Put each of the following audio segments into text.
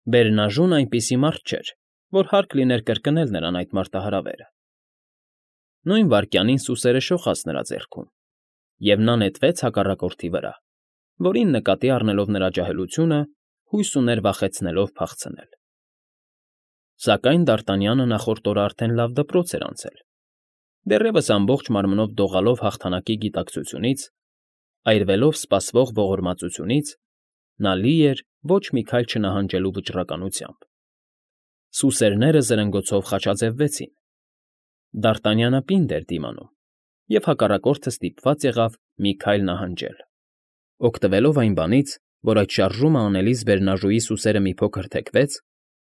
Բերնաժուն այնպիսի մարդ չէր, որ հարկ լիներ կրկնել նրան այդ մարտահրավերը։ Նույն վայրկյանին սուսերը շողաց նրա ձեռքում, և նա նետվեց հակառակորդի վրա, որին, նկատի առնելով նրա ջահելությունը, հույս ուներ վախեցնելով փախցնել։ Սակայն Դարտանյանը նախորդ օրը արդեն լավ դպրոց էր անցել, դեռևս ամբողջ մարմնով դողալով հաղթանակի գիտակցությունից, այրվելով սպասվող ողորմածությունից, նա լի էր ոչ մի քայլ չնահանջելու վճռականությամբ։ Սուսերները զրնգոցով խաչաձևվեցին։ Դարտանյանը պինդ էր դիմանում, և հակառակորդը ստիպված եղավ մի քայլ նահանջել։ Օգտվելով այն բանից, որ այդ շարժումը անելիս բերնաժուի սուսերը մի փոքր թեքվեց,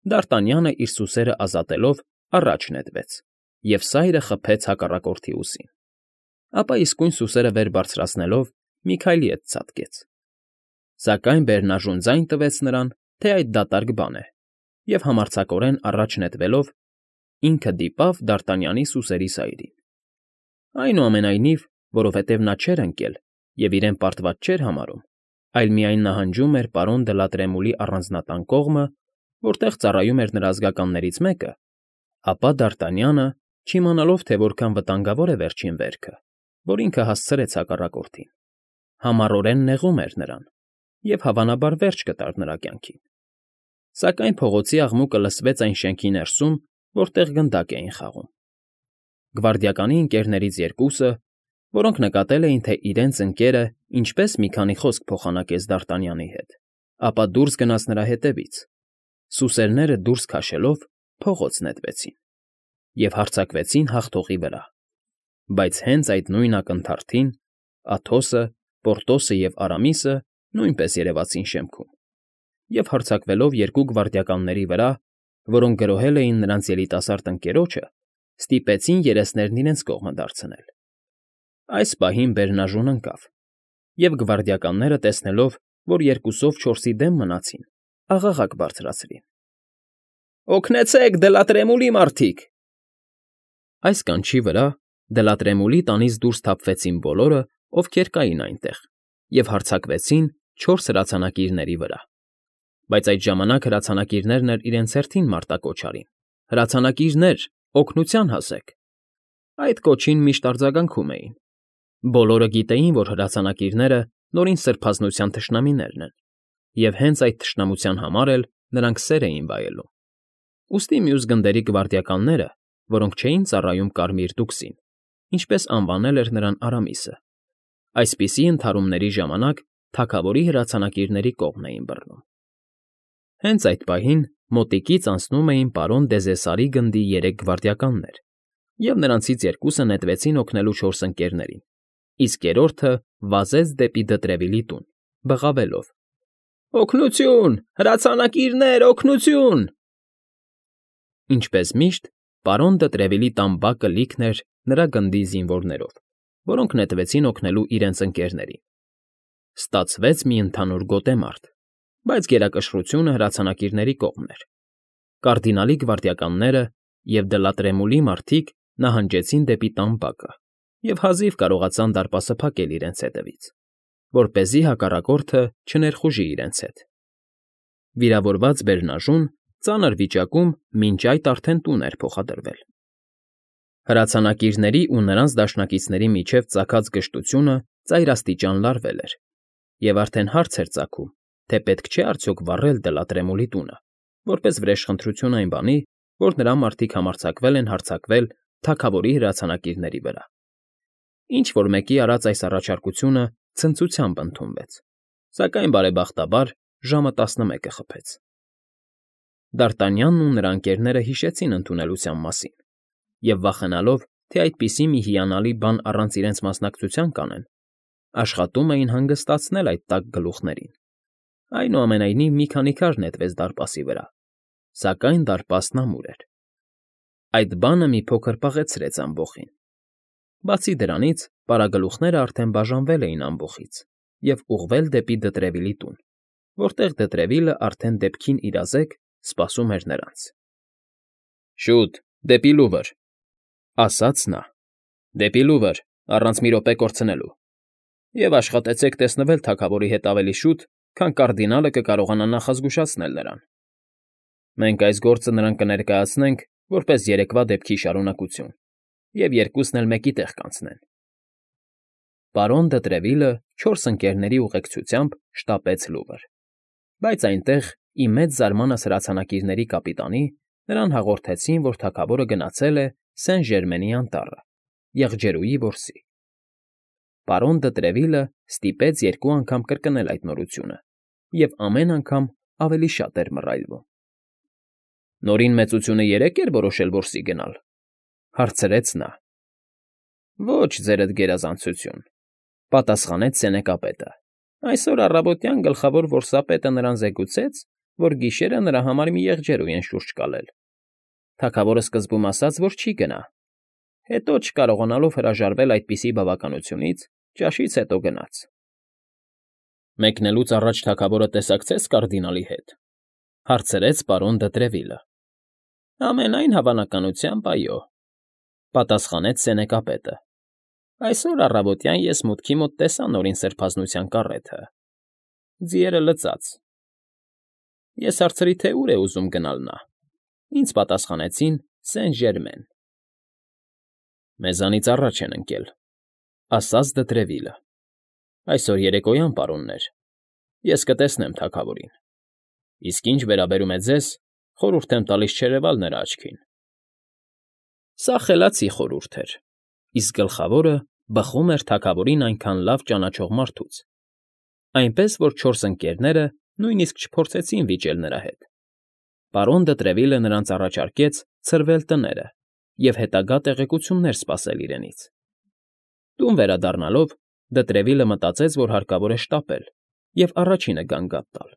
Դարտանյանը իր սուսերն ազատելով առաջ նետվեց և սայրը խփեց հակառակորդի ուսին, ապա իսկույն սուսերը վեր բարձրացնելով մի քայլի հետ ցատկեց։ Սակայն բերնաժուն ձայն տվեց նրան, թե այդ դատարկ բան է, և համարձակորեն առաջ նետվելով ինքը դիպավ Դարտանյանի սուսերի սայրին։ Այնուամենայնիվ, որովհետև նա չէր ընկել և իրեն պարտված չէր համարում, այլ միայն նահանջում էր պարոն Դլատրեմուլի առանձնատան կողմը, որտեղ ծառայում էր նրա ազգականներից մեկը, ապա Դարտանյանը, չիմանալով, թե որքան վտանգավոր է վերջին վերքը, որ ինքը հասցրեց հակառակորդին, համառորեն նեղում էր նրան և, հավանաբար, վերջ կտար նրա կյանքին։ Սակայն փողոցի աղմուկը լսվեց այն շենքի ներսում, որտեղ գնդակ էին խաղում։ Գվարդիականի ընկերներից երկուսը, որոնք նկատել էին, թե իրենց ընկերը ինչպես մի քանի խոսք փոխանակեց Դարտանյանի հետ, ապա դուրս գնաց նրա հետևից, սուսերները դուրս քաշելով փողոց նետվեցին և հարձակվեցին հաղթողի վրա։ Բայց հենց այդ նույն ակնթարթին Աթոսը, Պորտոսը և Արամիսը նույնպես երևացին շեմքում և, հարձակվելով երկու գվարդիականների վրա, որոնք գրոհել էին նրանց երիտասարդ ընկերոջը, ստիպեցին երեսներն իրենց կողմը դարձնել։ Այս պահին բերնաժուն ընկավ, և գվարդիականները, տեսնելով, որ երկուսով չորսի դեմ մնացին, աղաղակ բարձրացրին. «Օգնեցե՛ք, Դլատրեմուլի մարդիկ»։ Այս կանչի վրա Դլատրեմուլի տանից դուրս թափվեցին բոլորը, ովքեր կային այնտեղ, և հարձակվեցին 4 հրացանակիրների վրա։ Բայց այդ ժամանակ հրացանակիրներն էլ իրենց հերթին մարտակոչ արին. «Հրացանակիրներ, օգնության հասեք»։ Այդ կոչին միշտ արձագանքում էին։ Բոլորը գիտեին, որ հրացանակիրները նորին սրբազնության թշնամիներն են, և հենց այդ թշնամության համար էլ նրանք սեր էին վայելում։ Ուստի մյուս գնդերի գվարդիականները, որոնք չէին ծառայում Կարմիր տուքսին, ինչպես անվանել էր նրան Արամիսը, այսպիսի ընդհարումների ժամանակ թագավորի հրացանակիրների կողմն էին բռնում։ Հենց այդ պահին մոտիկից անցնում էին պարոն Դեզեսարի գնդի 3 գվարդիականներ, և նրանցից երկուսը նետվեցին օգնելու 4 ընկերներին, իսկ երրորդը վազեց դեպի Դտրևիլի տուն, բղավելով. «Օգնությո՜ւն, հրացանակիրներ, օգնությո՜ւն»։ Ինչպես միշտ, պարոն Դտրևիլի տան բակը լիքն էր նրա գնդի զինվորներով, որոնք նետվեցին օգնելու իրենց ընկերներին։ Ստացվեց մի ընդհանուր գոտեմարտ, բայց գերակշռությունը հրացանակիրների կողմն էր։ Կարդինալի գվարդիականները և Դլատրեմուլի մարդիկ նահանջեցին դեպի տան բակը և հազիվ կարողացան դարպասը փակել իրենց հետևից, որպեսզի հակառակորդը չներխուժի իրենց հետ։ Վիրավորված բերնաժուն ծանր վիճակում մինչ այդ արդեն տուն էր փոխադրվել։ Հրացանակիրների ու նրանց դաշնակիցների միջև ծագած գժտությունը ծայրաստիճան լարվել էր, և արդեն հարց էր ծագում, թե պետք չէ արդյոք վառել Դլատրեմուլի տունը, որպես վրեժխնդրություն այն բանի, որ նրա մարդիկ համարձակվել են հարձակվել թագավորի հրացանակիրների վրա։ Ինչ֊որ մեկի արած այս առաջարկությունը ցնծությամբ ընդունվեց, սակայն բարեբախտաբար ժամը 11-ը խփեց։ Դարտանյանն ու նրա ընկերները հիշեցին ընդունելության մասին և, վախենալով, թե այդպիսի մի հիանալի բան առանց իրենց մասնակցության կանեն, աշխատում էին հանգստացնել այդ տաք գլուխներին։ Այնուամենայնիվ մի քանի քար նետվեց դարպասի վրա, սակայն դարպասն ամուր էր։ Այդ բանը մի փոքր պաղեցրեց ամբոխին։ Բացի դրանից, պարագլուխներն արդեն բաժանվել էին ամբոխից և ուղղվել դեպի Դտրևիլի տուն, որտեղ Դտրևիլը արդեն դեպքին իրազեկ սպասում էր նրանց։ «Շուտ, դեպի Լուվր», ֊ ասաց նա, ֊ «դեպի Լուվր, առանց մի րոպե կորցնելու, և աշխատեցեք տեսնվել թագավորի հետ ավելի շուտ, քան կարդինալը կկարողանա նախազգուշացնել նրան»։ Մենք այս գործը նրան կներկայացնենք որպես երեկվա դեպքի շարունակություն և երկուսն էլ մեկի տեղ կանցնեն։ Պարոն Դետրևիլը չորս ընկերների ուղեկցությամբ շտապեց Լուվր, բայց այնտեղ, ի մեծ զարմանս հրացանակիրների կապիտանի, նրան հաղորդեցին, որ թագավորը գնացել է Սեն֊Ժերմենի անտառը, եղջերուի որսի։ Պարոն Դետրևիլը ստիպեց երկու անգամ կրկնել այդ նորությունը և ամեն անգամ ավելի շատ էր մռայլվում։ «Նորին մեծությունը երեկ էր որոշել որսի գնալ,֊ հարցրեց նա։ «Ոչ, ձերդ գերազանցություն,֊ պատասխանեց սենեկապետը։ Այսօր առավոտյան գլխավոր որսապետը նրան զեկուցեց, որ գիշերը նրա համար մի եղջերու են շուրջ կալել։ Թագավորը սկզբում ասաց, որ չի գնա, հետո, չկարողանալով հրաժարվել այդպիսի բավականությունից, ճաշից հետո գնաց»։ «Մեկնելուց առաջ թագավորը տեսակցեց կարդինալի հետ,֊ հարցրեց պարոն Դետրևիլը։ «Ամենայն հավանականությամբ, այո,֊ պատասխանեց սենեկապետը։ Այսօր առավոտյան ես մուտքի մոտ տեսա Նորին սրբազնության կառեթը. ձիերը լծած։ Ես հարցրի, թե ուր է ուզում գնալ նա։ Ինձ պատասխանեցին Սեն֊Ժերմեն»։ «Մեզանից առաջ են ընկել,֊ ասաց Դետրևիլը։ Այսօր երեկոյան, պարոններ, ես կտեսնեմ թագավորին։ Իսկ ինչ վերաբերում է ձեզ, խորհուրդ եմ տալիս չերևալ նրա աչքին»։ Սա խելացի խորհուրդ էր, իսկ գլխավորը բխում էր թագավորին այնքան լավ ճանաչող մարդուց, այնպես որ չորս ընկերները նույնիսկ չփորձեցին վիճել նրա հետ։ Պարոն Դետրևիլը նրանց առաջարկեց ցրվել տները և հետագա տեղեկություններ սպասել իրենից։ Տուն վերադառնալով՝ Դետրևիլը մտածեց, որ հարկավոր է շտապել և առաջինը գանգատ տալ։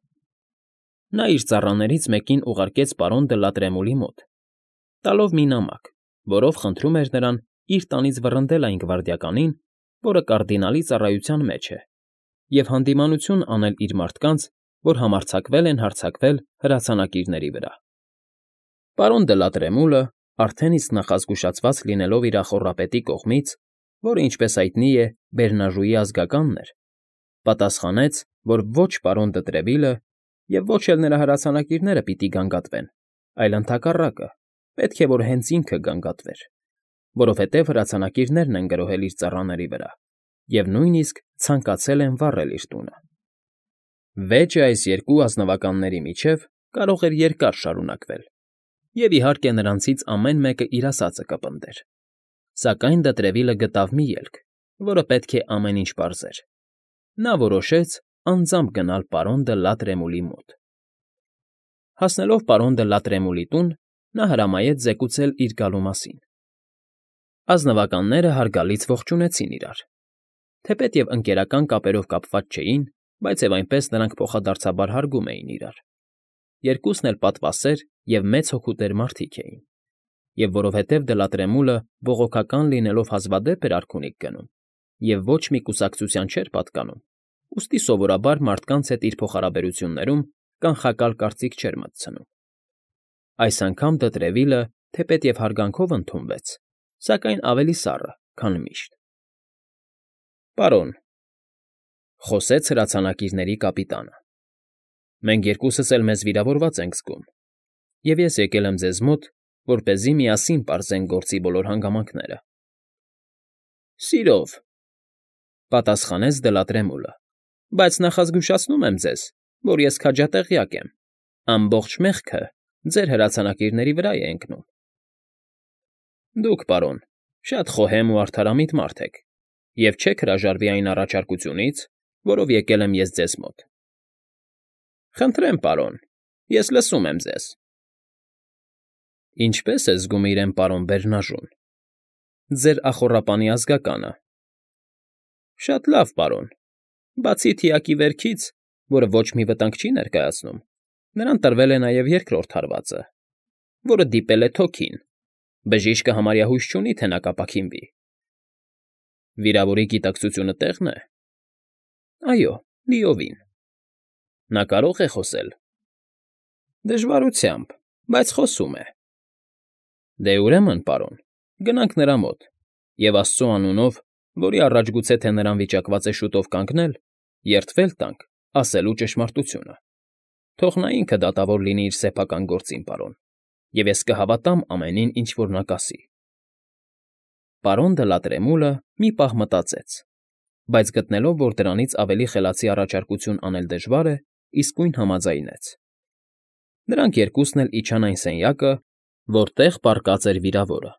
Նա իր ծառաներից մեկին ուղարկեց պարոն դը Լատրեմուլի մոտ, տալով մի նամակ, որով խնդրում էր նրան իր տանից վռնդել այն գվարդիականին, որը կարդինալի ծառայության մեջ է, և հանդիմանություն անել իր մարդկանց, որ համարձակվել են հարձակվել հրացանակիրների վրա։ Պարոն դը Լատրեմուլը, արդեն իսկ նախազգուշացված լինելով իր ախոռապետի կողմից, որը, ինչպես հայտնի է, Բերնաժուի ազգականն էր, պատասխանեց, որ ոչ պարոն Դետրևիլը և ոչ էլ նրա հրացանակիրները պիտի գանգատվեն, այլ ընդհակառակը, պետք է որ հենց ինքը գանգատվեր, որովհետև հրացանակիրներն են գրոհել իր ծառաների վրա և նույնիսկ ցանկացել են վառել իր տունը։ Վեճը այս երկու ազնվականների միջև կարող էր երկար շարունակվել, և, իհարկե, նրանցից ամեն մեկը իր ասածը կպնդեր, սակայն Դետրևիլը գտավ մի ելք, որը պետք է ամեն ինչ պարզեր։ Նա որոշեց անձամբ գնալ պարոն դը Լատրեմուլի մոտ։ Հասնելով պարոն դը Լատրեմուլի տուն, նա հրամայեց զեկուցել իր գալու մասին։ Ազնվականները հարգալից ողջունեցին իրար։ Թեպետև ընկերական կապերով կապված չէին, բայց և այնպես նրանք փոխադարձաբար հարգում էին իրար։ Երկուսն էլ պատվասեր և մեծ հոգուտեր մարդիկ էին, և որովհետև Դլատրեմուլը բողոքական լինելով հազվադեպ էր արքունիք գնում և ոչ մի կուսակցության չէր պատկանում, ուստի սովորաբար մարդկանց հետ իր փոխհարաբերություններում կանխակալ կարծիք չէր մտցնում։ Այս անգամ Դետրևիլը, թեպետև հարգանքով ընդունվեց, սակայն ավելի սառը, քան միշտ։ Պարոն,֊ խոսեց հրացանակիրների կապիտանը,֊ մենք երկուսս էլ մեզ վիրավորված ենք զգում, և ես եկել եմ ձեզ մոտ, որպեսզի միասին պարզենք գործի բոլոր հանգամանքները։ Սիրով,֊ պատասխանեց Դլատրեմուլը,֊ բայց նախազգուշացնում եմ ձեզ, որ ես քաջատեղյակ եմ, ամբողջ մեղքը ձեր հրացանակիրների վրա է ընկնում։ Դուք, պարոն, շատ խոհեմ ու արդարամիտ մարդ եք և չեք հրաժարվի այն առաջարկությունից, որով եկել եմ ես ձեզ մոտ։ Խնդրեմ, պարոն, ես լսում եմ ձեզ։ Ինչպե՞ս է զգում իրեն պարոն Բերնաժուն, ձեր ախոռապանի ազգականը։ Շատ լավ, պարոն, բացի թիակի վերքից, որը ոչ մի վտանգ չի ներկայացնում, նրան տրվել է նաև երկրորդ հարվածը, որը դիպել է թոքին, բժիշկը համարյա հույս չունի, թե նա կապաքինվի։ Վիրավորի գիտակցությունը տեղ՞ն է։ Այո, լիովին։ Նա կարո՞ղ է խոսել։ Դժվարությամբ, բայց խոսում է։ Դե ուրեմն, պարոն, գնանք նրա մոտ և Աստծու անունով, որի առաջ գուցե թե նրան վիճակված է շուտով կանգնել, երդվել տանք ասելու ճշմարտությունը։ Թող նա ինքը դատավոր լինի իր սեփական գործին, պարոն, և ես կհավատամ ամենին, ինչ որ նա կասի։ Պարոն դը Լատրեմուլը մի պահ մտածեց, բայց գտնելով, որ դրանից ավելի խելացի առաջարկություն անել դժվար է, իսկույն համաձայնեց։ Նրանք երկուսն էլ իջան այն սենյակը, որտեղ պառկած էր վիրավորը։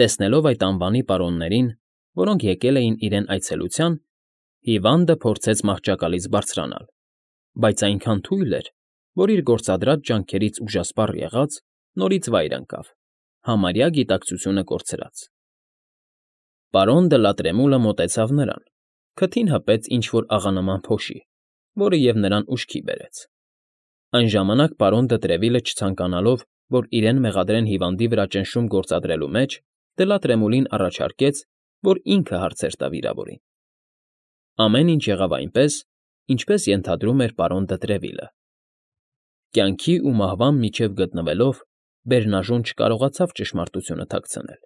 Տեսնելով այդ անվանի պարոններին, որոնք եկել էին իրեն այցելության, հիվանդը փորձեց մահճակալից բարձրանալ, բայց այնքան թույլ էր, որ իր գործադրած ջանքերից ուժասպառ եղած, նորից վայր ընկավ, համարյա գիտակցությունը կորցրած։ Պարոն դը Լատրեմուլը մոտեցավ նրան, քթին հպեց ինչ֊որ աղանման փոշի, որը և նրան ուշքի բերեց։ Այն ժամանակ պարոն դը Տրևիլը չցանկանալով, որ իրեն մեղադրեն հիվանդի վրա ճնշում գործադրելու մեջ, Դլատրեմուլին առաջարկեց, որ ինքը հարցեր տա վիրավորին։ Ամեն ինչ եղավ այնպես, ինչպես ենթադրում էր պարոն դը Տրևիլը։ Կյանքի ու մահվան միջև գտնվելով, Բերնաժոն չկարողացավ ճշմարտությունը թաքցնել,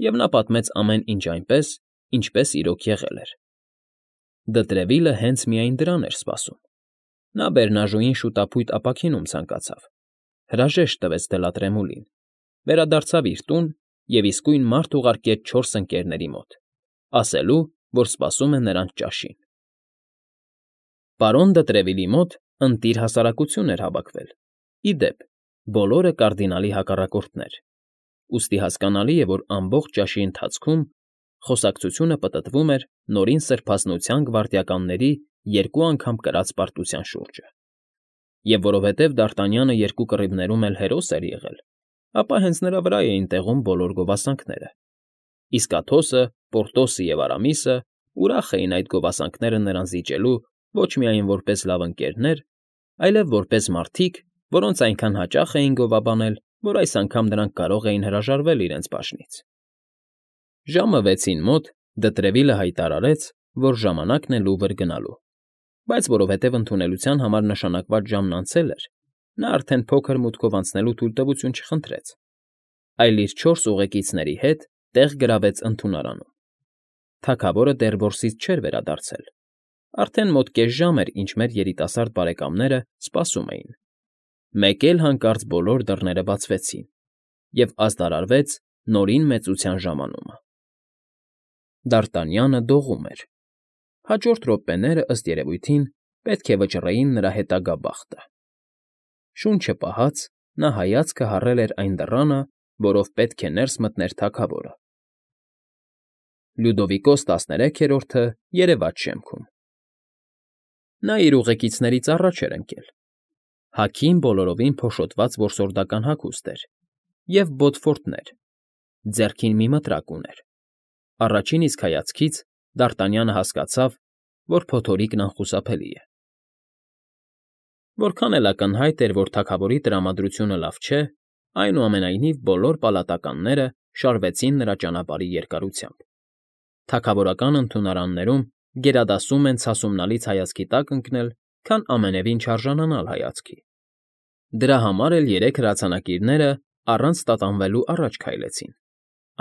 և նա պատմեց ամեն ինչ այնպես, ինչպես իրոք եղել էր։ Դը Տրևիլը հենց միայն դրան էր սպասում։ Նա Բերնաժոյին շուտափույթ ապաքինում ցանկացավ, հրաժեշտ տվեց Դլատրեմուլին, վերադարձավ իր տուն և իսկույն մարդ ուղարկեց 4 ընկերների մոտ, ասելու, որ սպասում է նրանց ճաշին։ Պարոն դը Տրևիլի մոտ ընտիր հասարակություն էր հավաքվել, ի դեպ, բոլորը կարդինալի հակառակորդներ, ուստի հասկանալի է, որ ամբողջ ճաշի ընթացքում խոսակցությունը պտտվում էր Նորին Սրբազնության գվարդիականների 2 անգամ կրած պարտության շուրջը։ Եվ որովհետև Դարտանյանը 2 կռիվներում էլ հերոս էր եղել, ապա հենց նրա վրա էին տեղում բոլոր գովասանքները։ Իսկ Աթոսը, Պորտոսը և Արամիսը ուրախ էին այդ գովասանքները նրան զիջելու ոչ միայն որպես լավ ընկերներ, այլև որպես մարդիկ, որոնց այնքան հաճախ էին գովաբանել, որ այս անգամ նրանք կարող էին հրաժարվել իրենց բաժնից։ Ժամը 6-ին մոտ դը Տրևիլը հայտարարեց, որ ժամանակն է լուվր գնալու, բայց որովհետև ընդունելության համար նշանակված ժամն անցել էր, նա արդեն փոքր մուտքով անցնելու թույլտվություն չխնդրեց, այլ իր 4 ուղեկիցների հետ տեղ գրավեց ընդունարանում։ Թագավորը դեռ որսից չէր վերադարձել։ Արդեն մոտ կես ժամ էր, ինչ մեր երիտասարդ բարեկամները սպասում էին։ Մեկ էլ հանկարծ բոլոր դռները բացվեցին, և ազդարարվեց Նորին Մեծության ժամանումը։ Դարտանյանը դողում էր։ Հաջորդ րոպեները, ըստ երևույթին, պետք է վճռեին նրա հետագա բախտը։ Շունչը պահած՝ նա հայացքը հառել էր այն դռանը, որով պետք է ներս մտներ թագավորը։ Լյուդովիկոս 13-րդը երևաց շեմքում։ Նա իր ուղեկիցներից առաջ էր ընկել։ Հագին բոլորովին փոշոտված որսորդական հագուստ էր և բոդֆորտներ, ձեռքին մի մտրակ ուներ։ Առաջին իսկ հայացքից Դարտանյանը հասկացավ, որ փոթորիկն անխուսափելի է։ Որքան էլ ակնհայտ էր, որ թագավորի տրամադրությունը լավ չէ, այնուամենայնիվ բոլոր պալատականները շարվեցին նրա ճանապարհի երկարությամբ։ Թագավորական ընդունարաններում գերադասում են ցասումնալից հայացքի տակ ընկնել, քան ամենևին չարժանանալ հայացքի։ Դրա համար էլ 3 հրացանակիրները առանց տատանվելու առաջ քայլեցին,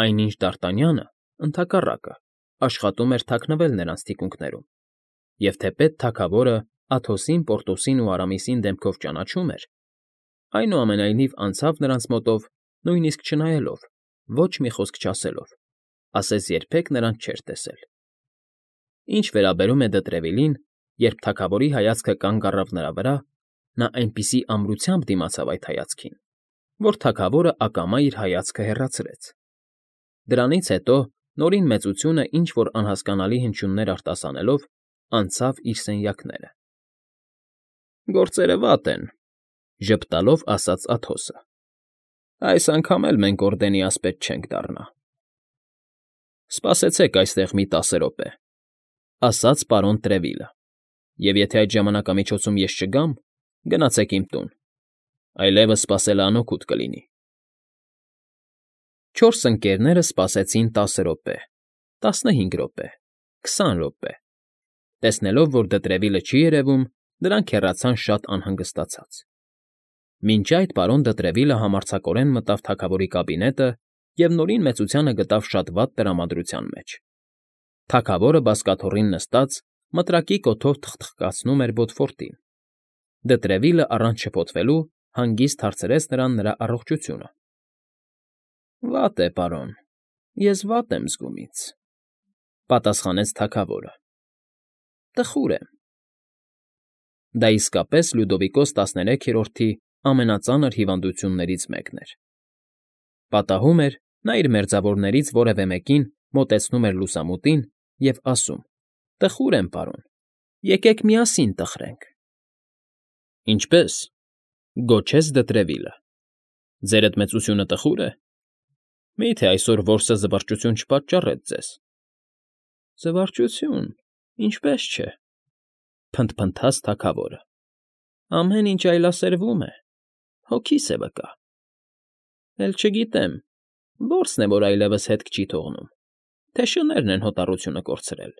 այնինչ Դարտանյանը, ընդհակառակը, աշխատում էր թաքնվել նրանց թիկունքներում, և թեպետ թագավորը Աթոսին, Պորտոսին ու Արամիսին դեմքով ճանաչում էր, այնուամենայնիվ անցավ նրանց մոտով, նույնիսկ չնայելով, ոչ մի խոսք չասելով, ասես երբեք նրանց չէր տեսել։ Ինչ վերաբերում է Դը Տրևիլին, երբ թագավորի հայացքը կանգ առավ նրա վրա, նա այնպիսի ամրությամբ դիմացավ այդ հայացքին, որ թագավորը ակամա իր հայացքը հեռացրեց։ Դրանից հետո Նորին Մեծությունը ինչ֊որ անհասկանալի հնչյուններ արտասանելով, անցավ իր սենյակները։ «Գործերը վատ են,֊ ժպտալով ասաց Աթոսը։ «Այս անգամ էլ մենք օրդենի ասպետ չենք դառնա»։ «Սպասեցեք այստեղ մի 10 րոպե,֊ ասաց պարոն Տրևիլը,֊ և եթե այդ ժամանակամիջոցում ես չգամ, գնացեք իմ տուն, այլևս սպասելը անօգուտ կլինի»։ 4 ընկերները սպասեցին 10 րոպե, 15 րոպե, 20 րոպե։ Տեսնելով, որ Դը Տրևիլը չի երևում, նրանք հեռացան շատ անհանգստացած։ Մինչ այդ պարոն Դը Տրևիլը համարձակորեն մտավ թագավորի կաբինետը և Նորին Մեծությանը գտավ շատ վատ տրամադրության մեջ։ Թագավորը բազկաթոռին նստած, մտրակի կոթով թխթխկացնում էր բոդֆորտին։ Դտրևիլը առանց շփոթվելու հանգիստ հարցրեց նրան նրա առողջությունը։ ֊ Վատ է, պարոն, ես վատ եմ զգում ինձ,֊ պատասխանեց թագավորը։ ֊ Տխուր եմ։ Դա իսկապես Լյուդովիկոս 13-րդի ամենածանր հիվանդություններից մեկն էր։ Պատահում էր, նա իր մերձավորներից որևէ մեկին մոտեցնում էր լուսամուտին և ասում. «Տխուր եմ, պարոն, եկեք միասին տխրենք»։ ֊ Ինչպե՞ս,֊ գոչեց Դտրևիլը։ ֊ Ձերդ մեծությունը տխո՞ւր է։ Մի՞թե այսօր որսը զվարճություն չպատճառեց ձեզ։ ֊ Զվարճություն, ինչպե՞ս չէ,֊ փնթփնթաց թագավորը։ Ամեն ինչ այլասերվում է, հոգիս է վկա։ Էլ չգիտեմ, որսն է, որ այլևս հետք չի թողնում, թե շներն են հոտառությունը կորցրել։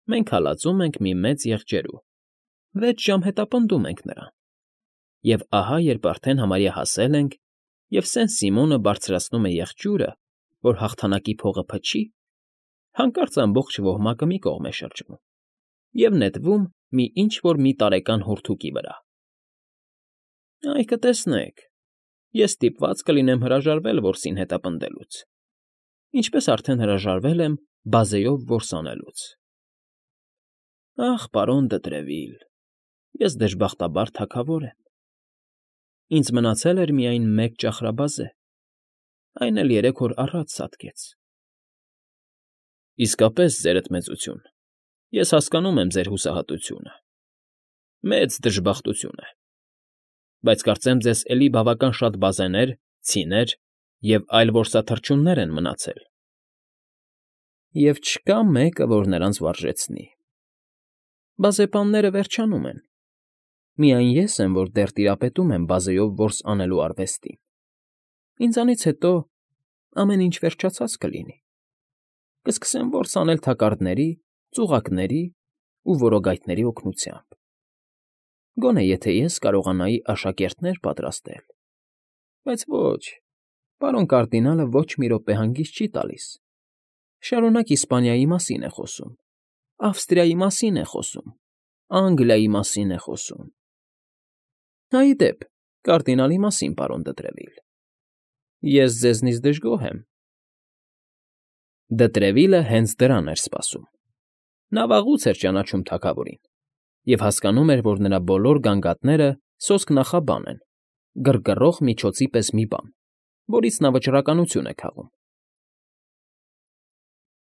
Մենք հալածում ենք մի մեծ եղջերու, 6 ժամ հետապնդում ենք նրան, և ահա երբ արդեն համարյա հասել ենք, և Սեն֊Սիմոնը բարձրացնում է եղջյուրը, որ հաղթանակի փողը փչի, հանկարծ ամբողջ ոհմակը մի կողմ է շրջվում և նետվում մի ինչ֊որ մի տարեկան հորթուկի վրա։ Այ կտեսնեք, ես ստիպված կլինեմ հրաժարվել որսին հետապնդելուց, ինչպես արդեն հրաժարվել եմ բազեով որս անելուց։ Ախ, պարոն Դտրևիլ, ես դժբախտաբար թագավոր եմ։ Ինձ մնացել էր միայն մեկ ճախրաբազե, այն էլ 3 օր առաջ սատկեց։ ֊ Իսկապես, ձերդ մեծություն, ես հասկանում եմ ձեր հուսահատությունը։ Մեծ դժբախտություն է։ Բայց կարծեմ ձեզ էլի բավական շատ բազեներ, ցիներ և այլ որսաթռչուններ են մնացել։ Եվ չկա մեկը, որ նրանց վարժեցնի։ Բազեպանները վերջանում են։ Միայն ես եմ, որ դեռ տիրապետում եմ բազեով որս անելու արվեստին։ Ինձանից հետո ամեն ինչ վերջացած կլինի։ Կսկսեմ որս անել թակարդների, ծուղակների ու որոգայթների օգնությամբ։ Գոնե եթե ես կարողանայի աշակերտներ պատրաստել։ Բայց ոչ, պարոն կարդինալը ոչ մի րոպե հանգիստ չի տալիս։ Շարունակ Իսպանիայի մասին է խոսում, Ավստրիայի մասին է խոսում, Անգլիայի մասին է խոսում։ Հա, ի դեպ, կարդինալի մասին, պարոն Դտրևիլ, ես ձեզնից դժգոհ եմ։ Դտրևիլը հենց դրան էր սպասում։ Նա վաղուց էր ճանաչում թագավորին և հասկանում էր, որ նրա բոլոր գանգատները սոսկ նախաբան են, գրգռող միջոցի պես մի բան, որից նա վճռականություն է քաղում։